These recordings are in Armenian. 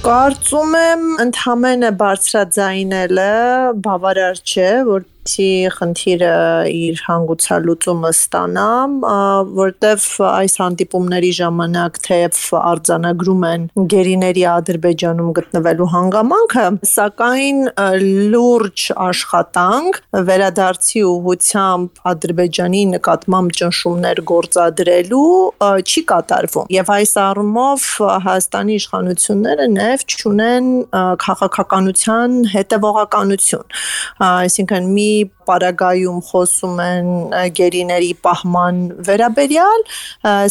Կարծում եմ ընդհանրապես բարձրաձայնելը բավարար չէ, որպեսզի խնդիրը իր հանգուցալուծումը ստանա, որտեվ այս հանդիպումների ժամանակ թեև արձանագրում են գերիների Ադրբեջանում գտնվելու հանգամանքը, սակայն լուրջ աշխատանք վերադարձի ուղղությամբ Ադրբեջանի նկատմամբ ճնշումներ գործադրելու չի կատարվում։ Եվ այս առումով Հայաստանի իշխանությունները նաև չունեն քաղաքականության հետևողականություն, այսինքն մի պարագայում խոսում են գերիների պահման վերաբերյալ,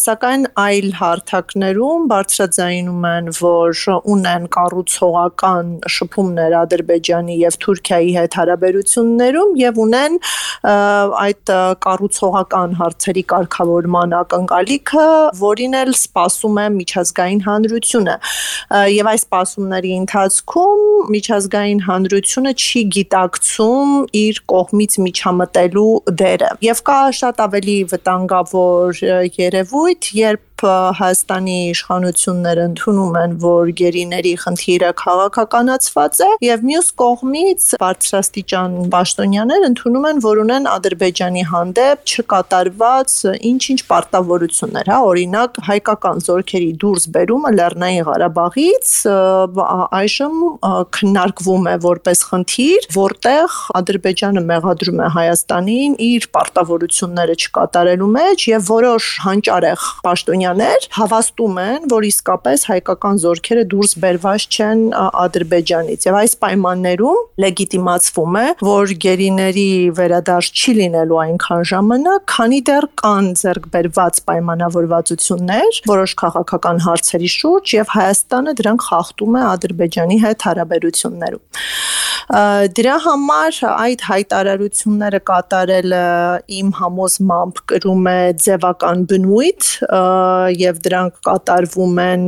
սակայն այլ հարթակներում բարձրաձայնում են, որ ունեն կառուցողական շփումներ Ադրբեջանի եւ Թուրքիայի հետ հարաբերություններում եւ ունեն այդ կառուցողական հարցերի կարգավորման ակնկալիքը, որին էլ սպասում է միջազգային հանրությունը։ Եվ այս սպասումների ընթացքում միջազգային հանրությունը չի գիտակցում իր կողմից միջամտելու դերը։ Եվ կա շատ ավելի վտանգավոր երևույթ, երբ Հայաստանի իշխանությունները ընդունում են, որ գերիների խնդիրը քաղաքականացված է, եւ մյուս կողմից բարձրաստիճան պաշտոնյաներ ընդունում են, որ ունեն Ադրբեջանի հանդեպ չկատարված ինչ-ինչ պարտավորություններ, օրինակ հայկական զորքերի դուրսբերումը Լեռնային Ղարաբաղից այժմ քննարկվում է որպես խնդիր, որտեղ Ադրբեջանը մեղադրում է Հայաստանին իր պարտավորությունները չկատարելու մեջ եւ որոշ հանճարեղ պաշտոնյաներ հավաստում են, որ իսկապես հայկական զորքերը դուրս բերված չեն Ադրբեջանից եւ այս պայմաններում լեգիտիմացվում է, որ գերիների վերադարձ չի լինելու այնքան ժամանակ, քանի դեռ կան ձեռքբերված պայմանավորվածություններ որոշ քաղաքական հարցերի շուրջ եւ Հայաստանը դրանք խախտում է Ադրբեջանի հետ հարաբերություններում։ Դրա համար այդ հայտարարությունները կատարելը իմ համոզմամբ կրում է ձևական բնույթ եւ դրանք կատարվում են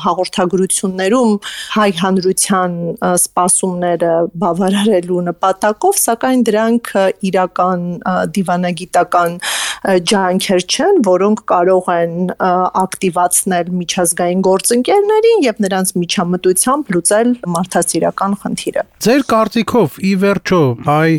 հաղորդագրություններում հայ հանրության սպասումները բավարարելու նպատակով, սակայն դրանք իրական դիվանագիտական ջանքեր չեն, որոնք կարող են ակտիվացնել միջազգային գործընկերներին եւ նրանց միջամտությամբ լուծել մարդասիրական խնդիրը։ Ձեր կարծիքով ի վերջո հայ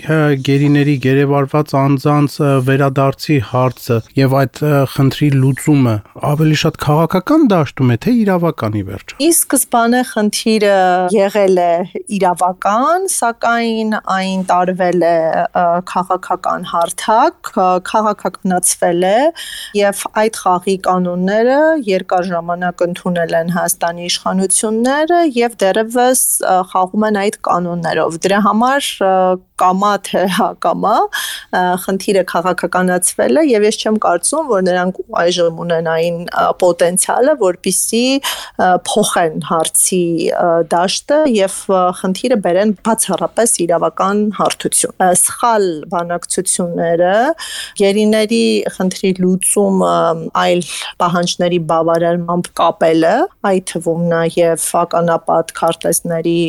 գերիների գերեվարված անձանց վերադարձի հարցը եւ այդ խնդրի լուծումը ավելի շատ քաղաքական դաշտում է, թե իրավական ի վերջո։ Ի սկզբանե խնդիրը եղել է իրավական, սակայն այն տարվել է քաղաքական հարթակ, քաղաքականացվել է եւ այդ խաղի կանոնները երկար ժամանակ ընդունել են Հայաստանի իշխանությունները եւ դեռևս խաղում են այդ կանոններով։ Դրա համար կամա թե հակամա խնդիրը քաղաքականացվել է եւ ես չեմ կարծում, որ նրանք այժմ ունենային պոտենցիալը, որպեսզի փոխեն հարցի դաշտը եւ խնդիրը բերեն բացառապես իրավական հարթություն։ Սխալ բանակցությունները գերիների խնդրի լուծումը այլ պահանջների բավարարմամբ կապելը, այդ թվում նաեւ ականապատ քարտեզների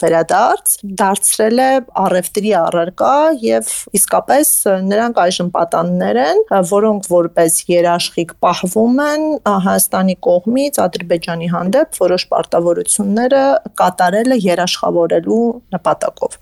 վերադարձ դարձրել է առևտրի առարկա եւ իսկապես նրանք այժմ պատաններ են, որոնք որպես երաշխիք պահվում են Հայաստանի կողմից Ադրբեջանի հանդեպ որոշ պարտավորությունները կատարելը երաշխավորելու նպատակով։